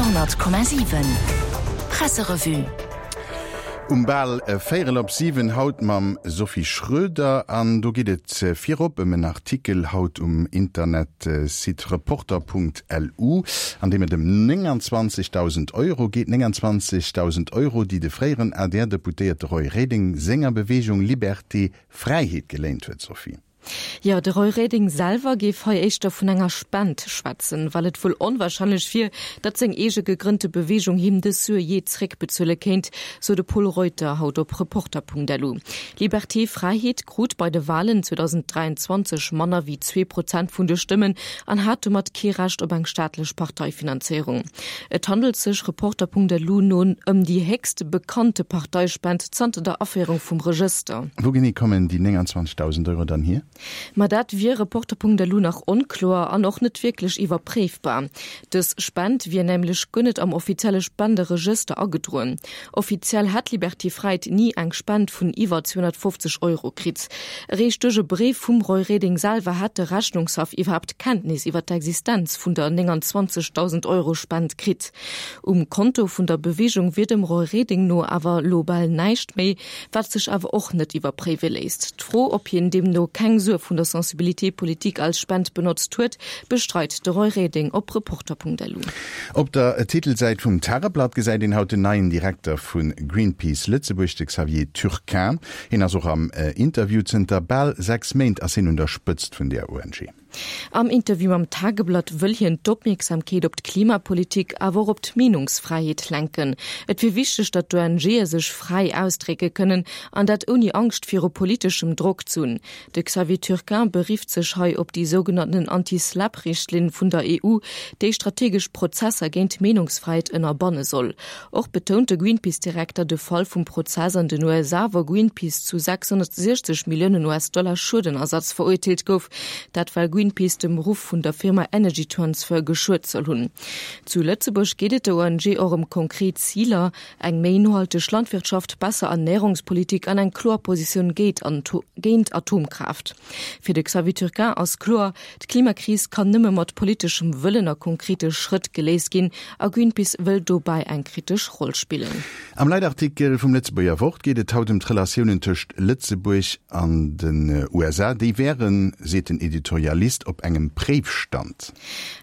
Radio,7 Presserevue. Um bal véierel op 7 haut mam Sophie Schröder an do geet et virop ëm en Artikel haut um Internetsite reporter.lu, an deem et ëm 29.000 Euro geet. 29.000 Euro, déi de fréieren ADR-Deputéierte Roy Reding senger Beweegung Liberté Fräiheet geléint huet, Sophie. Jo, de Roy Reding selwer géif hei éischter vun enger Spend schwätzen, well et wuel onwahrscheinlech wier, datt seng eege gegrënnte Beweegung him dës Sue jee zréckbezuele kéint, sou de Pol Reuter haut op Reporter.lu. Liberté Fräiheet krut bei de Walen 2023 manner wéi 2 Prozent vun de Stëmmen an hat domat kee Recht op eng staatlech Parteifinanzéierung. Et handelt sech Reporter.lu no ëm déi héchst bekannte Parteispend zanter der Aféierung vum Regëster. Wou genee kommen déi 29.000 Euro dann hier? Ma dat wier Reporter.lu nach onkloer an och net wierklech iwwerpréifbar. Dës Spend wier nämlech guer net am offizielle Spenderegëster agedroen. Offiziell hätt Liberté Fräiheet ni eng Spend vun iwwer 250 Euro kritt. Eréischt duerch e Bréif vum Roy Reding selwer hätt de Rechnungshaff iwwerhaapt Kenntnis iwwer d'Existenz vun der 29.000 Euro Spend kritt. Um Konto vun der Beweegung wier dem Roy Reding no awer lo bal näischt méi, wat sech awer och net iwwerpréiwe léisst. D'Fro, ob hien deemno keng Sue vun der Sensibilité politique als Spend benotzt huet, bestreit de Roy Reding op Reporter.lu. Op der Titelsäit vum Tageblatt gesäit een haut den neien Direkter vu Greenpeace Lëtzebuerg, de Xavier Turquin. Hien ass och am Interview. Zënter bal 6 Méint ass hien un der Spëtzt vun där ONG. Am Interview mam Tageblatt wëll hien d'Opmierksamkeet op d'Klimapolitik, awer och op d'Meenungsfräiheet lenken. Et wier wichteg, datt d'ONGe sech fräi ausdrécke kënnen, an dat ouni Angscht viru politeschem Drock ze hunn. De Xavier Turquin berifft sech hei op déi sougenannten Anti-SLAPP-Richtlinn vun der EU, déi strategesch Prozesser géint d'Meenungsfräiheet ënnerbanne soll. Och betount de Greenpeace-Direkter de Fall vum Prozess an den USA, wou Greenpeace zu 660 Milliounen US-Dollar Schuedenersatz verurteelt gouf. Dat well Greenpeace dem Ruff vun der Firma Energy Transfer geschuet soll hunn. Zu Lëtzebuerg geet et der ONG och ëm konkret Ziler, eng méi nohalteg Landwirtschaft, besser Ernärungspolitik an eng kloer Positioun géint Atomkraaft. Fir de Xavier Turquin ass kloer, D'Klimakris kann nëmme mat politeschem Wëllen a konkrete Schrëtt geléist ginn a Greenpeace wëll dobäi eng kritesch Roll spillen. Am Leitartikel vum Lëtzebuerger Wort geet et haut ëm d'Relatiounen tëscht Lëtzebuerg an den USA. Déi wären, seet den Editorialist, op engem Préifstand.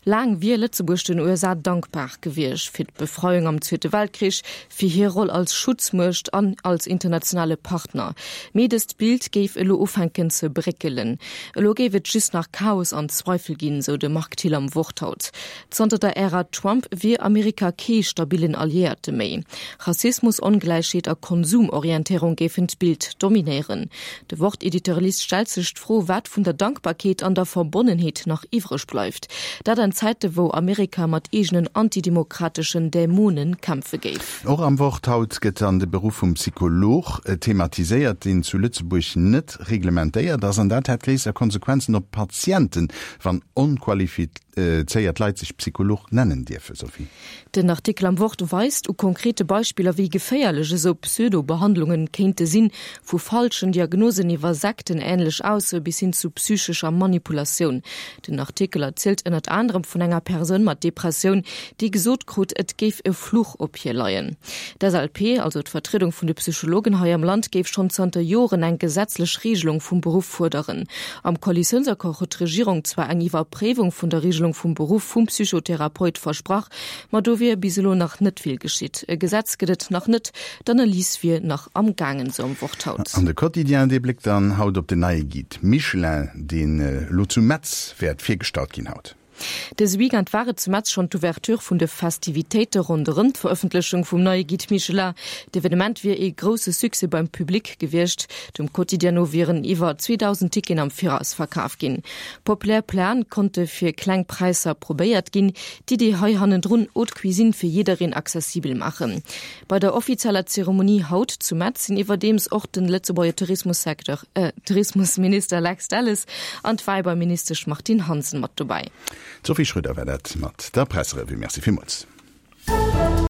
Laang wier Lëtzebuerg den USA dankbar gewiescht fir d'Befreiung am Zweete Weltkrich, fir hir Roll als Schutzmuecht an als internationale Partner. Mee dëst Bild géif elo ufänken ze bréckelen. Elo géif et just nach Chaos an Zweifel ginn, sou de Marc Thill am Wort haut. Zanter der Ära Trump wier Amerika kee stabillen Alliéierte méi. Rassismus, Ongläichheet a Konsumorientéierung géifen d'Bild dominéieren. De Wort-Editorialist stellt sech d'Fro, wat vun der Dankbarkeet an der Verbonnenheet nach iwwreg bleift. Dat an Zäite wou Amerika mat eegenen antidemokrateschen Dämone kämpfe géif. Och am Wort haut gëtt dann de Beruff vum Psycholog thematiséiert, deen zu Lëtzebuerg net reglementéiert ass. An dat hätt gréisser Konsequenzen op d'Patienten, wann onqualifizéiert Leit sech Psycholog nennen dierfen. Sophie. Den Artikel am Wort weist u konkrete Beispiller, wéi geféierlech esou Pseudo-Behandlungen kéinte sinn, vu falschen Diagnosen iwwer sektenähnlech Aussoe bis hin zu psychescher Manipulatioun. Den Artikel erzielt ënnert anerem vun enger Persoun mat Depressioun, déi gesot krut, et géif e Fluch op hir leien. D'SLP, also d'Vertriedung vun de Psychologen hei am Land, géif schonn zanter Joren eng gesetzlech Regelung vum Beruff fuerderen. Am Koalitiounsaccord huet d'Regierung zwar eng Iwwerpréiwung vun der Regelung vum Beruff vum Psychotherapeut versprach, ma do wier bis elo nach net vill geschitt. E Gesetz gëtt et nach net, d'Analys wier nach am gaangen, sou am Wort haut. An de Quotidien, dee bléckt dann haut op den neie Guide Michelin, deen elo zu Metz wäert virgestallt ginn haut. Dëse Weekend war et zu Metz schonn d'Ouverture vun de Festivitéite ronderëm d'Verëffentlechung vum neie Guide Michelin. D'Evenement wier ee grousse Succès beim Public gewiescht. Dem Quotidien no wieren iwwer 2.000 Ticketen am Viraus verkaf ginn. Populär Platen konnte fir kleng Präisser probéiert ginn. D'Idee hei hannendrun, Haute Cuisine fir jiddereen accessibel maachen. Bei der offizieller Zeremonie haut zu Metz sinn iwwerdeems och den Lëtzebuerger Tourismussecteur, Tourismusminister Lex Delles an d'Wäibauministesch Martine Hansen mat dobäi. D'Sophie Schröder war dat mat der Presserevue. Merci villmools.